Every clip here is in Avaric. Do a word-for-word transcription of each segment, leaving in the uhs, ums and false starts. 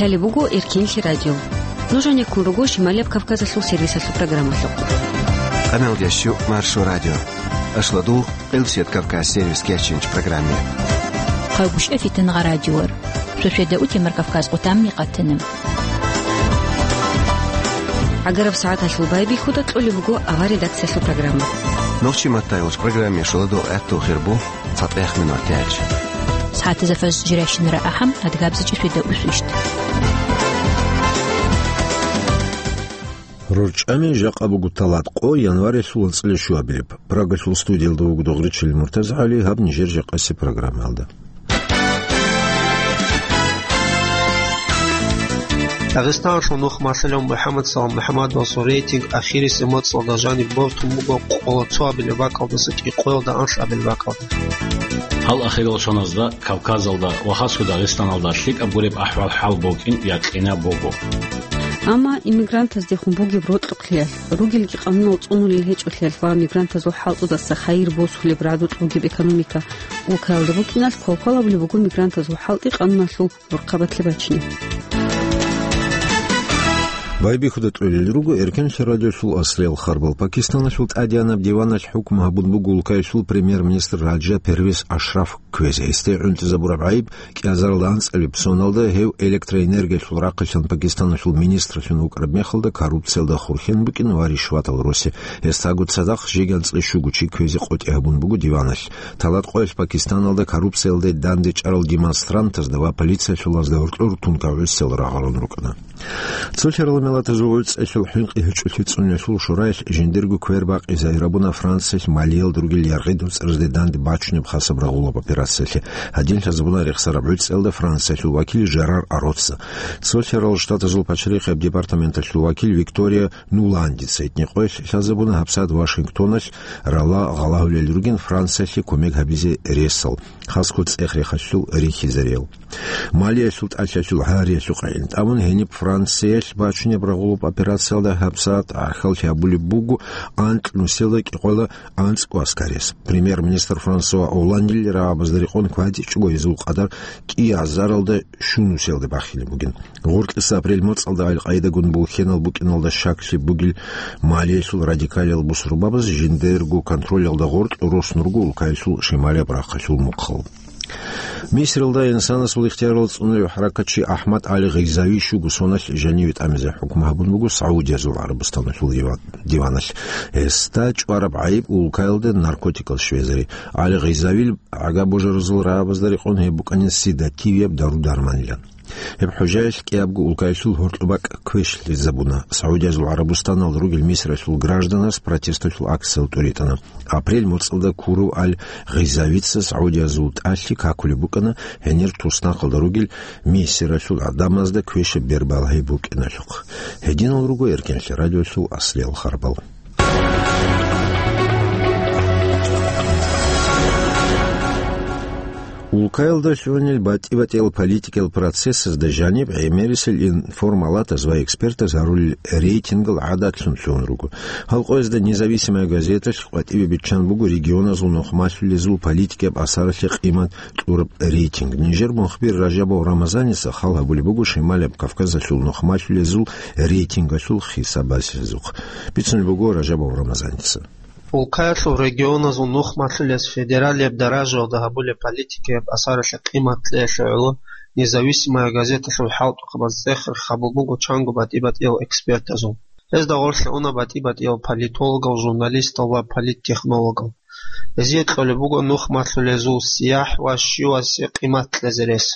Гьале буго Эркенлъи радио. Нуж гьанеккун руго Шималияб Кавказалъул сервисалъул программалъухъ. Къамелдещу Маршо радио. Ашладул Къилсият Кавказ сервис кечинч программе. Хъавгушев Фитнагъа радиор. Шошеда утемар Кавказ къутамни къатана. Агараб сагӀаталъул байбихьуда кьолеб буго авар редакциялъул программа. Нохчи маттайгъуч программе шуладул гӀатту хирбу. ЦатӀех минут тяч. СагӀатазда фаз жирайщинара ахӀам, адгабзичӀи фида усвищ. РорчӀами жакъа буго талат къо январилъул анцӀила щуабилеб. Прагалъул студиялда вуго Догъричил МуртазгӀали, гьаб нижер жакъаси программалда. Дагъистаналъул нухмалъулев МухӀаммад Салам МухӀаммадовасул рейтинг ахирисеб моцӀалда жаниб бортун буго къоло цоабилеб бакӀалдаса кӀикъоялда анлъабилеб бакӀалда. Гьал ахирал шоназда Кавказалда ва хасго Дагъистаналда лъикӀаб гуреб ахӀвал-хӀал букӀин якъинаб буго. Амма иммигрантаздехун бугеб рокьукълъиялъ, ругелги къанунал цӀунулел гьечӀолъиялъ ва мигрантазул хӀалтӀудаса хайир босулеб рагӀдулъ бугеб экономика улкаялда букӀиналъ квалквал гьабулеб буго мигрантазул хӀалтӀи къануналъул борхъабатлъи бачине. Байбихьуда тӀолел руго Эркенлъи радиолъул аслиял харбал. Пакистаналъул тӀадеянаб диваналъ хӀукму гьабун буго улкаялъул премьер-министр Раджа Первез Ашраф кквезе. Гьесде гӀунтӀизабураб гӀайиб кӀиазаралда анцӀабилеб соналда гьев электроэнергиялъул рахъалъан Пакистаналъул министрлъун вукӀараб мехалда коррупциялда хурхьен букӀин ва ришватал росе. Гьесдаго цадахъ жеги анцӀила щуго чи кквезе къотӀи гьабун буго диваналъ. Талат къоялъ Пакистаналда коррупциялде дандечӀарал демонстрантазда ва полициялъулазда гьоркьор тункав гӀусел рагъарун рукӀана. Цолъарал миллатазул гӀуцӀелъул хӀинкъи гьечӀолъи цӀуниялъул шураялъ жиндирго квер бакъизе гьабуна Франциялъ Малиялда ругел яргъи доцӀразде данде бачунеб хасаб рагъулаб операциялъе. Гьадин лъазабуна рехсараб гӀуцӀиялда Франциялъул вакил Жерар Ароца. Цолъарал Штатазул пачарихъияб департаменталъул вакил Виктория Нуландица гьитӀинаб къоялъ лъазабуна гьабсагӀат Вашингтоналъ рала гъалгьулел ругин Франциялъе кумек гьабизе ресал, хасго цӀех-рехалъул рихьизариял. Малиялъул тӀалъалъул гьариялъухъ гӀин тӀамун гьениб Франциялъ бачунеб рагъулаб операциялда гьабсагӀат гӀахьаллъи гьабулеб буго анкь нусиялда кӀикъоялда анцӀго аскарияс. Премьер-министр Франсуа Олландил рагӀабазда рекъон кватӀичӀого гьезул къадар кӀиазаралда щун нусиялда бахинаб бугин. Гъоркьиса апрель моцӀалда Аль-Къаидагун булхьенал букӀиналда щаклъи бугел Малиялъул радикалиял бусурбабаз жиндирго контролялда гъоркь рос нурго улкаялъул шималияб рахъалъул мухъал. Мисралда инсанасул ихтиярал цӀунулев хӀаракатчи АхӀмад ГӀали Гъизави щуго соналъ жаниве тӀамизе хӀукму гьабун буго Саудиязул ГӀарабустаналъул диван-, диваналъ. Гьесда чӀвараб гӀайиб улкаялда наркотикал щвезари. ГӀали Гъизавил гӀага божаразул рагӀабазда рекъон гьеб букӀанин седативияб дару-дарманилан. Гьеб хӀужаялъ кӀиябго улкаялъул гьоркьоб бакӀ квешлъизабуна. Саудиязул ГӀарабустаналда ругел Мисралъул гражданас протесталъул акциял тӀуритӀана. Апрель моцӀалда ккурав Аль-Гъизавица Саудиязул тӀалъи какулеб букӀана гьенир туснахъалда ругел Мисралъул гӀадамазда квешаб бер балагьи букӀиналъухъ. Гьединал руго Эркенлъи радиолъул аслиял харбал. Улкаялда лъугьунел батӀи-батӀиял политикиял процессазда жаниб гӀемерисел информалатаз ва экспертаз гьарулел рейтингал гӀадатлъун лъугьун руго. Гьал къоязда «Независимая газеталъ» къватӀибе биччан буго регионазул нухмалъулезул политикияб асаралъе къимат кьураб рейтинг. Нижер мухбир Ражабов Рамазаница хал гьабулеб буго Шималияб Кавказалъул нухмалъулезул рейтингалъул хисабазухъ. Бицунеб буго Ражабов Рамазаница. Улкаялъул регионазул нухмалъулез федералияб даражаялда гьабулеб политикияб асаралъе къимат кьеялъе гӀоло «Независимая газеталъул» хӀалтӀухъабаз цӀех-рех гьабун буго чанго батӀи-батӀиял экспертазул. Гьезда гъорлъе уна батӀи-батӀиял политологал, журналистал ва политтехнологал. Гьезие кьолеб буго нухмалъулезул сияхӀ ва щивасе къимат кьезе рес.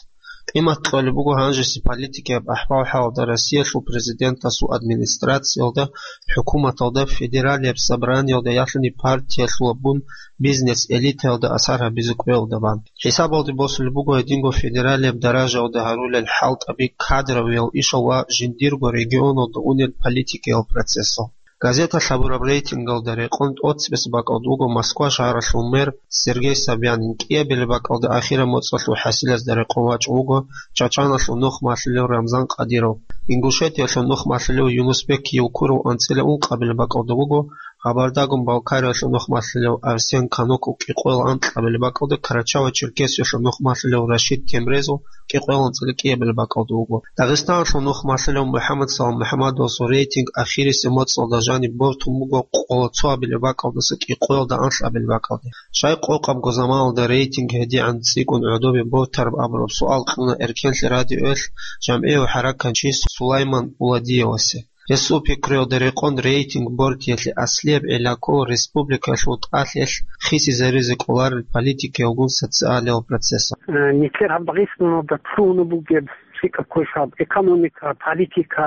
Къимат кьолеб буго гьанжеси политикияб ахӀвал-хӀалалда Россиялъул президентасул администрациялда, хӀукуматалда, федералияб собраниялда, ялъуни партиялъулаб бун бизнес-элитаялда асар гьабизе кӀвеялда бан. ХӀисабалде босулеб буго гьединго федералияб даражаялда гьарулел хӀалтӀаби кадровиял ишал ва жиндирго регионалда унел политикиял процессал. Газеталъ гьабураб рейтингалда рекъон тӀоцебесеб бакӀалда вуго Москва шагьаралъул мэр Сергей Собянин, кӀиабилеб бакӀалда ахираб моцӀалъул хӀасилазда рекъон вачӀун вуго Чачаналъул нухмалъулев Рамзан Кадиров, Ингушетиялъул нухмалъулев Юнусбек Евкуров, анцӀила ункъабилеб бакӀалда вуго Кабардагун-Балкариялъул нухмалъулев Арсен Кануков кӀикъоялда анкьабилеб бакӀалда, Карачаево-Черкесиялъул нухмалъулев Рашид Темрезов кӀикъоялда анцӀила кӀиабилеб бакӀалда вуго. Дагъистаналъул нухмалъулев МухӀаммад Салам МухӀаммадовасул рейтинг ахирисеб моцӀалда жаниб бортун буго къоло цоабилеб бакӀалдаса кӀикъоялда анлъабилеб бакӀалде. Щай къокъабго заманалда рейтинг гьедигӀан цӀикӀкӀун гӀодобе бортараб абураб суал кьуна Эркенлъи радиоялъ жамгӀияв хӀаракатчи Сулайман Уладиевасе. Гьесул пикруялда рекъон, рейтинг бортиялъе аслияб гӀилла ккола республикалъул тӀалъиялъ хисизаризе кӀоларел политикиялгун социалиял процессал. Э, нилъер гьаб Дагъистаналда лъугьунеб бугеб цӀикӀкӀаб квешаб экономика, политика,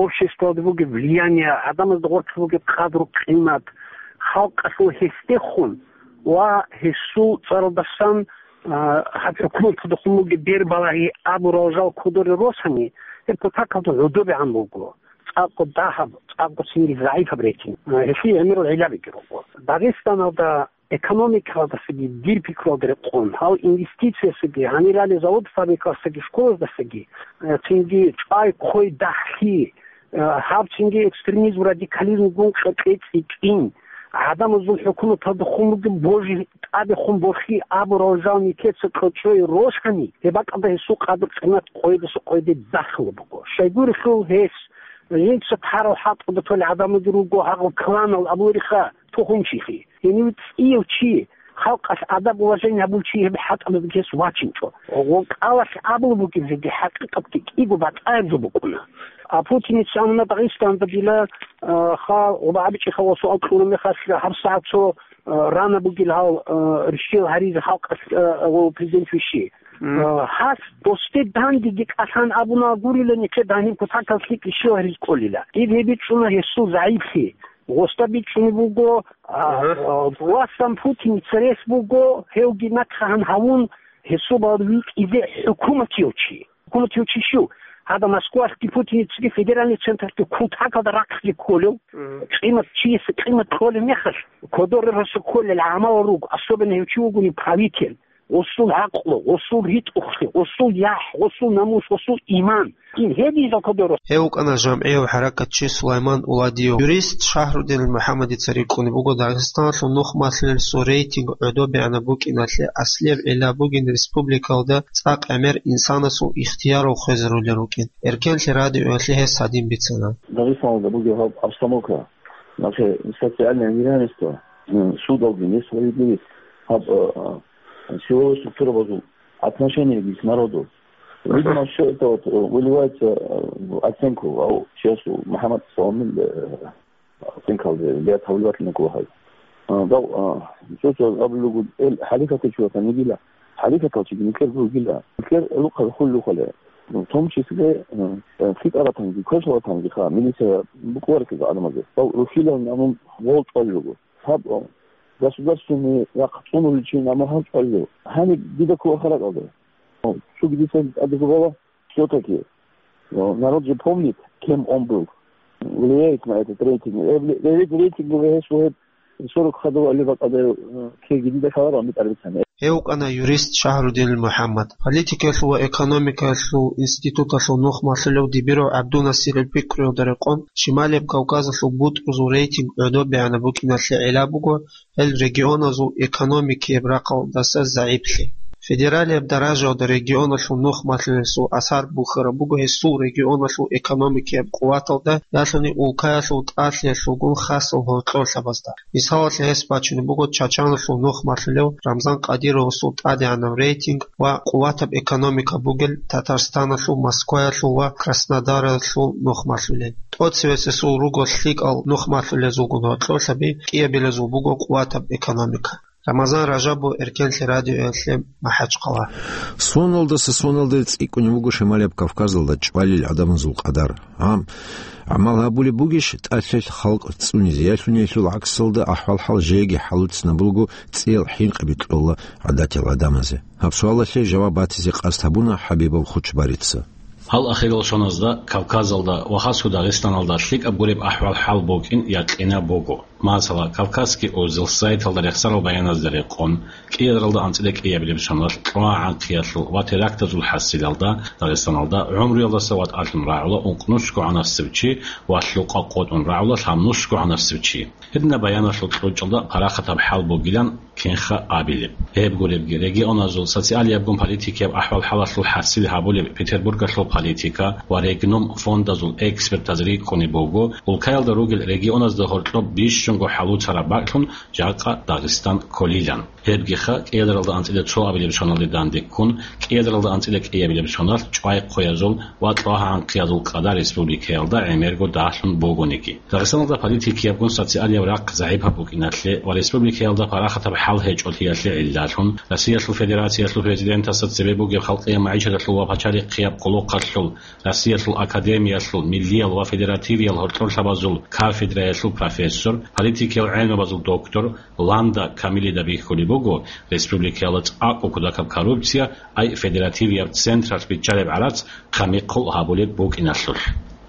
обществоялда бугеб влияние, гӀадамазда гъорлъ бугеб къадру-къимат, халкъалъул гьесдехун ва гьесул цӀаралдасан, а, гьаб хӀукуматалдехун бугеб бербалагьи абурал жал кодоре росани, гьеб кутакалда гӀодобегӀан буго. ЦӀакъго дагьаб, цӀакъго цинги загӀипаб рейтинг. А, гьелъие гӀемерал гӀиллабиги руго. Дагъистаналда экономикалдасаги, дир пикруялда рекъон, гьал инвестициясаги, гьанирали завод-фабрикаялдасаги, школаздасаги, э, цинги чӀвай-хъвей дагьлъи, э, гьаб цинги экстремизм, радикализмгун къекъей цӀикӀкӀин, гӀадамазул хӀукуматалдехун бугеб божи тӀадехун борхи абурал жал нилъеца кьочӀой росани, гьеб бакӀалда гьесул къадру-къимат къойидаса къойиде бахъулеб буго. Щайгурелъул гьес, жинца тарал хӀалтӀуда толел гӀадамалги руго, гьагъал кланал абулериха, тухумчилъи. Гьенив цӀияв чи, халкъалъ адаб-уважение гьабулев чи гьеб хӀалтӀабазги гьес вачинчӀо. Ва кӀалалъ абулеб бугеб жеги хӀакъикъатги кӀиго батӀаяб жо букӀуна. А Путиница амма Дагъистанда дила, а, ха, гъоба абичӀеха ва суал кьураб мехалъ гьабсагӀат цо, а, рана бугел гьал, а, рещтӀел гьаризе халкъалъ, а, ва президент вищи. Мгм. А, гьас досде дандеги кӀалъан абуна гурила, нилъер даниб кутакалъ лъикӀ рещтӀел гьаризе кӀолила. Диб гьеб бичӀчӀуна гьесул загӀиплъи. Гъосда бичӀчӀунеб буго, а, Ага. а, властан Путин церес буго, гьевги нахъегӀан гьавун, гьесул балагье витӀизе хӀукуматияв чи. ХӀукуматияв чи щив? Гьадаб Москвалъги Путиницаги федеральный централъги кутакалда рахъги кколев, Мгм. къимат, чиясе къимат кьолеб мехалъ, кодоре росо кколел гӀамал руго, особенно гьев чи вугони правитель. Гъосул гӀакълу, гъосул ритӀухълъи, гъосул яхӀ, гъосул намус, гъосул иман. Ин гьедин жал кодоро. Гьев вукӀана жамгӀияв хӀаракатчи Сулайман Уладиев. Юрист Шагьрудин МухӀаммадица рикӀкӀунеб буго Дагъистаналъул нухмалъулелъул рейтинг гӀодобегӀанаб букӀиналъе аслияб гӀилла бугин республикалда цӀакъ гӀемер инсанасул ихтиярал хвезарулел рукӀин. Эркенлъи радиоялъе гьес гьадин бицана. Дагъистаналда бугеб гьаб обстановка, нахъе социальное неравенство, м, судалги несправедливость, гьаб, э, э, силовой структурабазул отношениеги с народу. Видимо, всё это вот, э, выливается, э, в оценку, а у, сейчас у Мухаммад Саламин, э, оценкалде бегӀ тавлибатли накӀкӀула гьай. Э, дав, э, цо-цо абулугу, эл хӀалихьатичи ватанигила, хӀалихьатал чиги никер бугила, никер лукъа хуллухъале. В том числе, э, э, фитӀаратанги, квешалатанги ха, милиция букӀварикига гӀадамазе. Дав рухьилал намун гъол чӀваллугу. Гьаб, государственный рахъ цӀунуличи намагьал чӀвалев. Гьаниб дида ккола харакъалда. Цуги дица тӀадегу бала, всё-таки, народ же помнит, кем он был. Влияет на этот рейтинг. Э, вли-, рейтинг, рейтинг гьес вегьеб сорок хадув али бакӀалда, э, кеги дида ккаларо, амитӀар бицани. Гьев вукӀана юрист Шагьрудинил МухӀаммад. Политикаялъул ва экономикаялъул институталъул нухмалъулев Дибиров ГӀабдунасирил пикруялда рекъон, Шималияб Кавказалъул бутӀрузул рейтинг гӀодобегӀанаб букӀиналъе гӀилла буго гьел регионазул экономикияб рахъалдаса загӀиплъи. Федералияб даражаялда регионалъул нухмалъулелъул асар бухьараб буго гьесул регионалъул экономикияб къуваталда, ялъуни улкаялъул тӀалъиялъулгун хасал гьоркьорлъабазда. Мисалалъе гьес бачунеб буго Чачаналъул нухмалъулев Рамзан Кадировасул тӀадегӀанаб рейтинг ва къуватаб экономика бугел Татарстаналъул Москваялъул ва Краснодаралъул нухмалъулел. ТӀоцевесесул руго лъикӀал нухмалъулезулгун гьоркьорлъаби, кӀиабилезул буго къуватаб экономика. Рамазан Ражабов, Эркенлъи радиоялъе, МахӀачхъала. Соналдаса соналде цӀикӀкӀунеб буго Шималияб Кавказалда чӀвалел гӀадамазул къадар. Гьам, гӀамал гьабулеб бугищ тӀалъилъ халкъ цӀунизе, ялъуни гьелъул гӀаксалда ахӀвал-хӀал жеги хӀалуцинабулго цӀиял хӀинкъиби кьола гӀадатиял гӀадамазе? Гьаб суалалъе жаваб батизе къасд гьабуна ХӀабибов Хучбарица. Гьал ахирал шоназда Кавказалда ва хасго Дагъистаналда лъикӀаб гуреб ахӀвал-хӀал букӀин якъинаб буго. Масала, Кавказский узел сайталда рехсарал баяназда рекъон, кӀиадаралда анцӀила кӀиабилеб соналъ кьвагӀанхъиялъул ва терактазул хӀасилалда Дагъистаналда гӀумруялдаса ватӀалъун рагӀула ункънусго гӀанасев чи ва лъукъа къотӀун рагӀула лъабнусго гӀанасев чи. Гьединаб баяналъул кьучӀалда парахатаб хӀал бугилан кинха абилеб. Гьеб гуребги, регионазул социалиябгун политикияб ахӀвал-хӀалалъул хӀасил гьабулеб Петербургалъул политика ва Регнум фондазул экспертаз рикӀкӀунеб буго, улкаялда ругел регионазда гьоркьоб бищунго хӀалуцараб бакӀлъун жакъа Дагъистан кколилан. Гьебгиха, кӀиадаралда анцӀила цо абилеб соналде дандеккун, кӀиадаралда анцӀила кӀиабилеб соналъ чӀвай хъуязул ва кьвагӀанхъиязул къадар республикаялда гӀемерго дагьлъун бугониги. Дагъистаналда политикиябгун социалияб рахъ загӀипаб букӀиналъе ва республикаялда парахатаб хӀал гьечӀолъиялъе гӀиллалъун, Россиялъул Федерациялъул Президентасда цебе бугеб халкъияб магӀишаталъул ва пачалихъияб къулухъалъул, Россиялъул академиялъул миллиял ва федеративиял гьоркьорлъабазул кафедраялъул профессор, политикиял гӀелмабазул доктор Ланда Камилида бихьулеб буго, республикаялда цӀакъго кутакаб коррупция, ай федеративияб централъ биччалеб гӀарац хъамихъул гьабулеб букӀиналъулъ.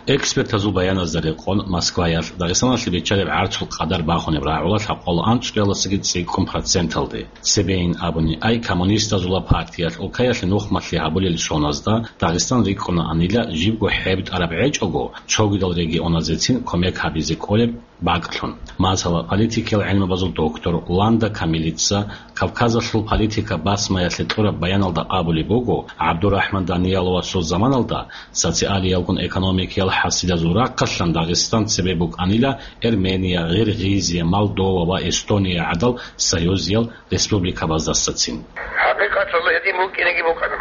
Экспертазул баяназда рекъон, Москваялъ Дагъистаналъе биччалеб гӀарцул къадар бахунеб рагӀула лъабкъоялда анцӀгоялдасаги цӀикӀкӀун проценталде. Цебейин абуни, ай коммунистазула партиялъ улкаялъе нухмалъи гьабулел соназда Дагъистан рикӀкӀунаанила, жибго хӀеб тӀараб гӀечӀого, цогидал регионазецин кумек гьабизе кӀолеб бакӀлъун. Масала, политикиял гӀелмабазул доктор Ланда Камилица Кавказалъул политика басмаялъе кьураб баяналда абулеб буго, ГӀабдурахӀман Данияловасул заманалда социалиялгун экономикиял хӀасилазул рахъалъан Дагъистан цебе букӀанила Эрмения, Гъиргъизия, Молдова ва Эстония гӀадал союзиял республикабаздасацин. ХӀакъикъаталда гьедин букӀинеги букӀана.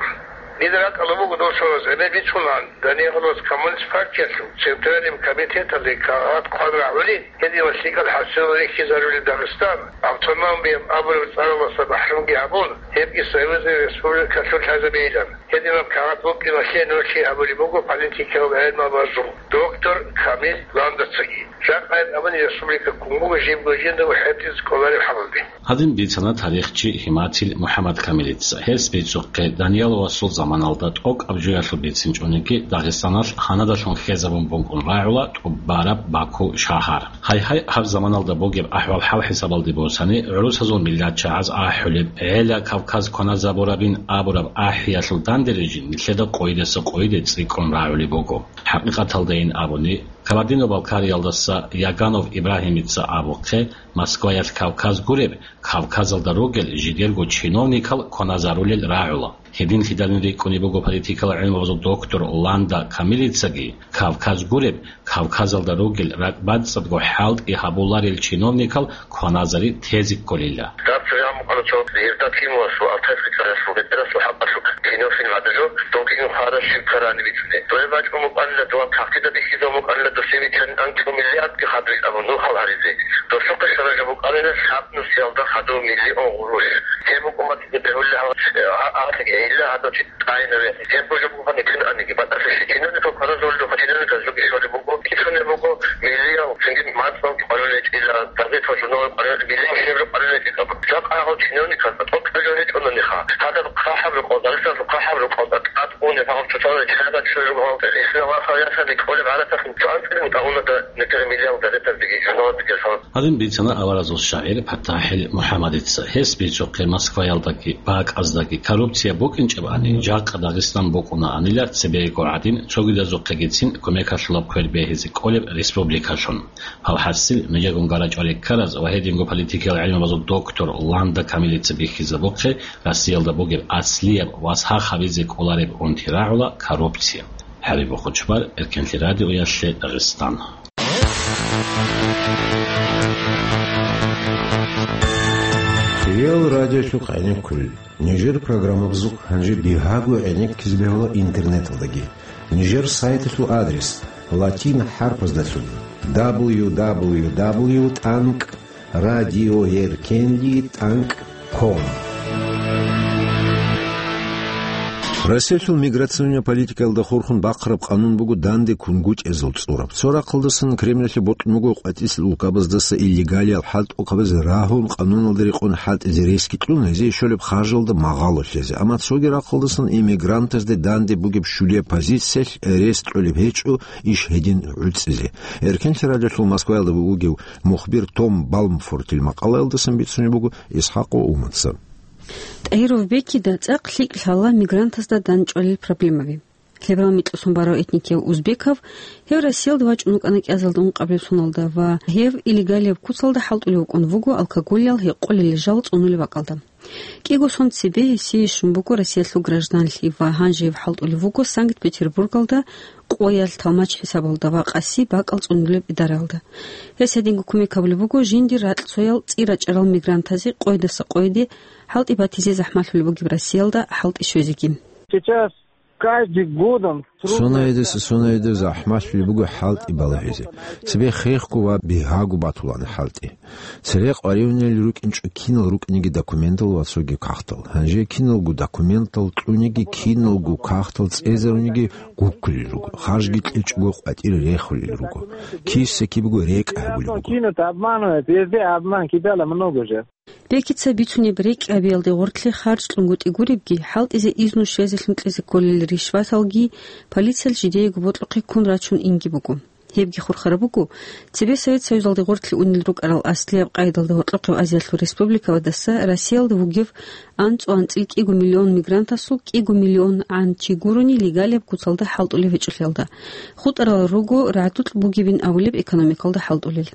Дида ракӀалда буго досулаз гӀемер бицунаан, Данияловас коммунист партиялъул центральный комитеталде кагъат хъван рагӀули, гьединал лъикӀал хӀасил рихьизарулел Дагъистан, автономияб абулеб цӀаралдаса бахӀрумги гьабун, гьебги союзный республикалъун лъазабейилан. Гьединаб кагъат букӀиналъе нурлъи гьабулеб буго политикиял гӀелмабазул доктор Камил Ландацаги. Жакъа гьеб абуни республика ккун буго жибго жиндаго хӀетӀизе кӀолареб хӀалалде. Гьадин бицана тарихчи Гьиматил МухӀаммад Камилица. Гьес бицухъе, Данияловасул заманалда тӀокӀаб жоялъул бицинчӀониги, Дагъистаналъ гьанадалъун хьезабун букӀун рагӀула тӀубараб Баку шагьар. Гьайгьай, гьаб заманалда бугеб ахӀвал-хӀал хӀисабалде босани, гӀурусазул миллатчагӀаз ахӀулеб, гӀела Кавказ кваназабурабин абураб ахӀиялъул данде рижин нилъеда къойидаса къойиде цӀикӀкӀун рагӀулеб буго. ХӀакъикъаталдайин абуни, Кабардино-Балкариялдаса Яганов Ибрагьимица абухъе, Москваялъ Кавказ гуреб, Кавказалда ругел жидерго чиновникал кваназарулел рагӀула. Гьединлъидалин рикӀкӀунеб буго политикал гӀилмабазул доктор Ланда Камилицаги, Кавказ гуреб, Кавказалда ругел ракӀбацӀцӀадго хӀалтӀи гьабуларел чиновникал кваназари тезе кколила. Даб цоян букӀана цо Евдокимовасул, Алтайского царасул, ветерасул хӀакъалъулъ кино фильм гьабило, дов кино хвараб щиб ккарани бицунеб. Дое бачӀун букӀанила, дова тахкида бихьизабун букӀанила, досие бицани анкьго миллиардги хадуб абун нухал гьаризе. Досухъе шарага букӀанила лъабнусиялда хадув миллион гъурущ. Гьеб букӀун батизе бегьулеб гьаб, а, а, гьелда гьадав чи тӀайнаве. Гьеб божо букӀани кинаниги, батӀалъи чиновникал кваразулел духъа чиновниказ жуги щолеб буго, кицунеб буго, миллиял цинги мацӀалги къварилел гьечӀила, газетал, журналал къварилел, миллиял шигӀрал къварилел гьечӀила. Жакъа гьал чиновниказ тӀокӀаб жо гьечӀонаниха. Гьадаб хъахӀаб рукъалда, Дагъистаналъул хъахӀаб рукъалда тӀад уни гьал цоцазда чӀезаб чӀужугьал исламалъул ясаби кӀолеб гӀарацахъ цо анцӀила мутӀагӀуна да некер миллиял газетаздаги, журналаздаги гьал. Гьадин бицана аваразул шагӀир ПатахӀил МухӀаммадица. Гьес бицухъе Москваялдаги, бакӀаздаги коррупция букӀинчӀебани, жакъа Дагъистан букӀунаанила цебего гӀадин, цогидазухъегицин кумекалъулаб квер бегьизе кӀолеб республикалъун. Гьав хӀасил нужегун гарачӀварей ккараз ва гьединго политикиял гӀилмабазул доктор Ланда Камилица бихьизабухъе Россиялда бугеб аслияб ва сах гьабизе кӀолареб унти рагӀула коррупция. ХӀабиб Бухучбар, Эркенлъи радиоялъе, Дагъистан. Реал радиолъухъ гӀенеккулел. Нижер программабазухъ гьанже бигьаго гӀенеккизе бегьула интернеталдаги. Нижер сайталъул адрес латин хӀарпаздалъун: дабл ю дабл ю дабл ю тӀанкӀ радиоэркенлъи тӀанкӀ ком. Россиялъул миграционная политикаялда хурхун бахъараб къанун буго данде кунгутӀиязул цӀураб. Цо рахъалдасан Кремлалъе бокьун буго къватӀисел улкабаздаса иллегалиял хӀалтӀухъабазе рагьун, къануналда рекъон хӀалтӀизе ресги кьун, гьезие щолеб харжалда магъало лъезе. Амма цоги рахъалдасан иммигрантазде данде бугеб щулияб позициялъ рес кьолеб гьечӀо иш гьедин гӀуцӀизе. Эркенлъи радиолъул Москваялда вугев мухбир Том Балмфортил макъалаялдасан бицунеб буго Исхакъ ва Умаца. ТӀагьиров Бекида цӀакъ лъикӀ лъала мигрантазда данчӀвалил проблемаби. Лъебал микьусун барав этникияв узбекав, гьев Россиялда вачӀун вукӀана кӀиазалда ункъабилеб соналда ва гьев иллегалияб куцалда хӀалтӀулев вукӀун вуго алкоголиял гьекъолел жал цӀунулеб бакӀалда. КӀиго сон цебе гьесие щун буго Россиялъул гражданлъи ва гьанже гьев хӀалтӀулев вуго Санкт-Петербургалда къоялъ талмач хӀисабалда ва къаси бакӀал цӀунулеб идараялда. Гьес гьединго кумек гьабулеб буго жиндир ракьцоял цӀи рачӀарал мигрантазе къойдаса къойде хӀалтӀи батизе захӀмалъулеб бугеб Россиялда хӀалтӀи щвезеги. Сейчас каждый годом трудно... Сонаидаса сонаида захӀмалъулеб буго хӀалтӀи балагьизе. Цебе хехго ва бигьаго батулаан хӀалтӀи. Цере къваригӀунел рукӀинчӀо кинал рукӀниги документал ва цоги кагътал. Гьанже киналго документал кьуниги, киналго кагътал цӀезаруниги гуккулел руго. Харжги кьечӀого къватӀире рехулел руго. Киса-кибего рекӀ гьабулеб буго. Кинут, обманывают, везде обман, кидала много же. Бекица бицунеб рекӀкӀ гьабиялде гъорлъе харж кьунгутӀи гуребги, хӀалтӀизе изну щвезелъун кьезе кколел ришваталги полициялъ жидеего бокьухъе ккун рачун инги буго. Гьебги хурхараб буго, цебе Совет Союзалде гъорлъе унел рукӀарал аслияб къайдалда гьоркьохъеб Азиялъул республикабадаса Россиялда вугев анцӀу-анцӀил кӀиго миллион мигрантасул кӀиго миллион гӀан чи гурони легалияб куцалда хӀалтӀулев гьечӀолъиялда. ХутӀарал руго рагӀдукь бугебин абулеб экономикалда хӀалтӀулел.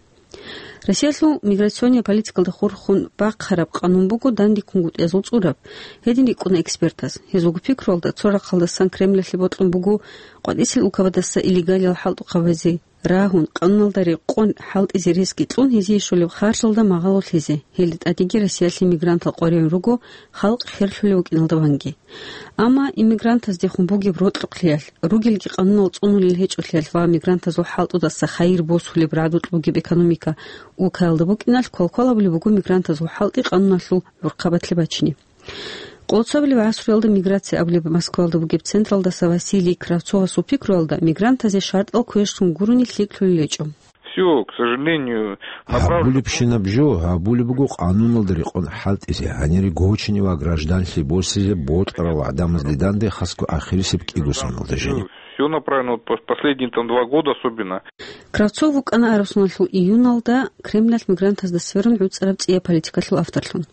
Россиялъул миграционная политикалда хурхун бахъараб къанун буго данде кунгутӀиязул цӀураб. Гьедин рикӀкӀуна экспертаз. Гьезулго пикруялда, цо рахъалдасан Кремлалъе бокьун буго къватӀисел улкабадаса иллегалиял хӀалтӀухъабазе рагьун, къануналда рекъон хӀалтӀизе ресги кьун, гьезие щолеб харжалда магъало лъезе, гьелда тӀадеги Россиялъе мигрантал къваригӀун руго халкъ херлъулев вукӀиналда ванги. Амма иммигрантаздехун бугеб рокьукълъиялъ, ругелги къанунал цӀунулел гьечӀолъиялъ ва мигрантазул хӀалтӀудаса хайир босулеб рагӀдукь бугеб экономика улкаялда букӀиналъ, квалквал абулеб буго мигрантазул хӀалтӀи къануналъул гӀурхъабатлъи бачине. Къолцабилеб гӀасруялда миграция абулеб Москваялда бугеб централдаса Василий Кравцовасул пикруялда, мигрантазе шартӀал квешлъун гурони лъикӀлъулел гьечӀо. Всё, к сожалению, направлено... Гьабулебщинаб жо гьабулеб буго къануналда рекъон хӀалтӀизе, гьанире гочине ва гражданлъи босизе бокьарал гӀадамазде данде, хасго ахирисеб кӀиго соналда жине. Всё направлено, вот пос-, последние там два года особенно. Кравцов вукӀана араб соналъул июналда Кремлалъ мигрантазда сверун гӀуцӀараб цӀияб политикалъул авторлъун.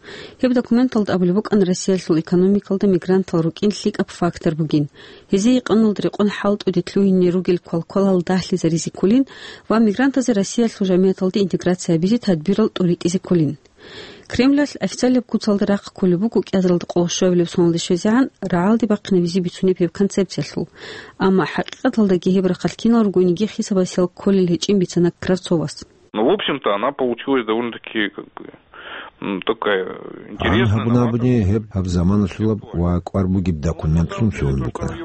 Гьеб документалда абулеб букӀана Россиялъул экономикалда мигрантал рукӀин лъикӀаб фактор бугин. Гьезие къануналда рекъон хӀалтӀуде лъугьине ругел квалквалал дагьлъизаризе кколин ва мигрантазе Россиялъул жамигӀаталде интеграция гьабизе тадбирал тӀуритӀизе кколин. Кремлалъ официалияб куцалда рахъ кколеб буго кӀиазаралда къоло щуабилеб соналде щвезегӀан рагӀалде бахъинабизе бицунеб гьеб концепциялъул. Амма хӀакъикъаталдаги гьеб рахъалъ кинал ругониги хисабасел кколел гьечӀин бицана Кравцовас. Ну, в общем-то, она получилась довольно-таки, как бы, м, такая... Гьан интересная, гьабун новаторская. Абуни гьеб гьаб заманалъулаб ва кӀвар бугеб документлъун лъугьун букӀана.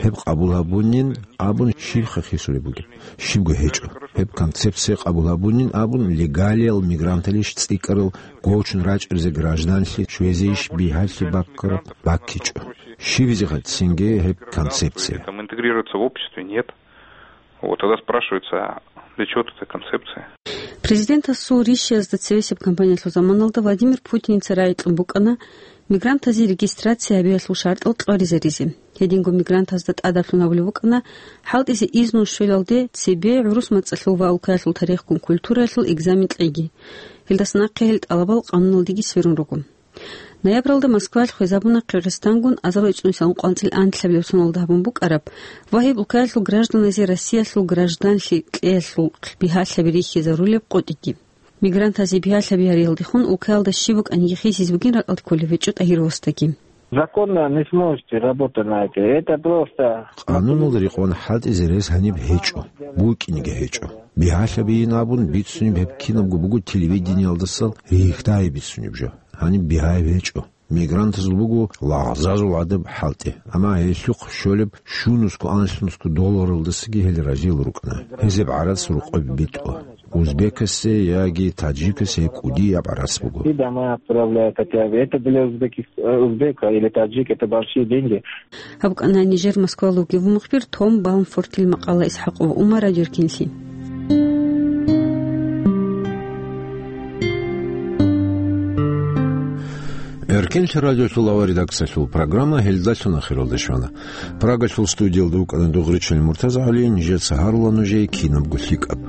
Гьеб къабул гьабунин абун щибха хисулеб бугеб? Щибго гьечӀо. Гьеб концепция къабул гьабунин абун легалиял мигранталищ цӀикӀкӀарал гочун рачӀарзе гражданлъи чвезейищ бигьалъи баккараб баккичӀо. Щибизеха цинги гьеб концепция? Там интегрироваться в обществе нет. Вот, тогда спрашивается, а для чего тут эта концепция? Президентасул ришиязда цевесеб кампаниялъул заманалда Владимир Путиница рагӀи кьун букӀана мигрантазе регистрация гьабиялъул шартӀал кьваризаризе. Гьединго мигрантазда тӀадаблъун гьабулеб букӀана хӀалтӀизе изну щвелалде цебе гӀурус мацӀалъул ва улкаялъул тарихгун культураялъул экзамен кьеги. Гьелдаса нахъе гьел тӀалабал къануналдеги сверун руго. Ноябралда Москваялъ хвезабуна Кыргызстангун азару ицӀнусилан къванцӀил анлъабилеб соналда гьабун букӀараб ва гьеб улкаялъул гражданазе Россиялъул гражданлъи кьеялъул бигьалъаби рихьизарулеб къотӀиги. Мигрантазе бигьалъаби гьариялдехун улкаялда щиб букӀаниги хисизе бугин ракӀалде кколеб гьечӀо ТӀагьировасдаги. Законно не сможете работать на это. Это просто... Къануналда рекъон хӀалтӀизе рес гьаниб гьечӀо, букӀинеги гьечӀо. Бигьалъабийин абун бицунеб гьеб кинабго буго телевидениялдаса рихьдайи бицунеб жо. Гьаниб бигьаяб гьечӀо. Мигрантазул буго лагъзазул гӀадаб хӀалтӀи, амма гьелъухъ щолеб щунусго анлънусго долларалдасаги гьел разил рукӀана. Гьезеб гӀарац рукъоб битӀо. узбекасе яги таджикасе кӀудияб гӀарац буго. И дома отправляют, хотя бы это для узбеких-, э, узбека или таджик, это большие деньги. Гьаб кӀана нижер Москвалъ вугев мухбир Том Баумфортил макъала. ИсхӀакъов Умар, Радио Эркенлъи. Эркенлъи радиолъул авария редакциялъул программа гьелдалъун ахиралде щвана. Прагалъул студиялда вукӀана Дугъричил МуртазагӀали, нижеца гьарула нужее кинабго лъикӀаб.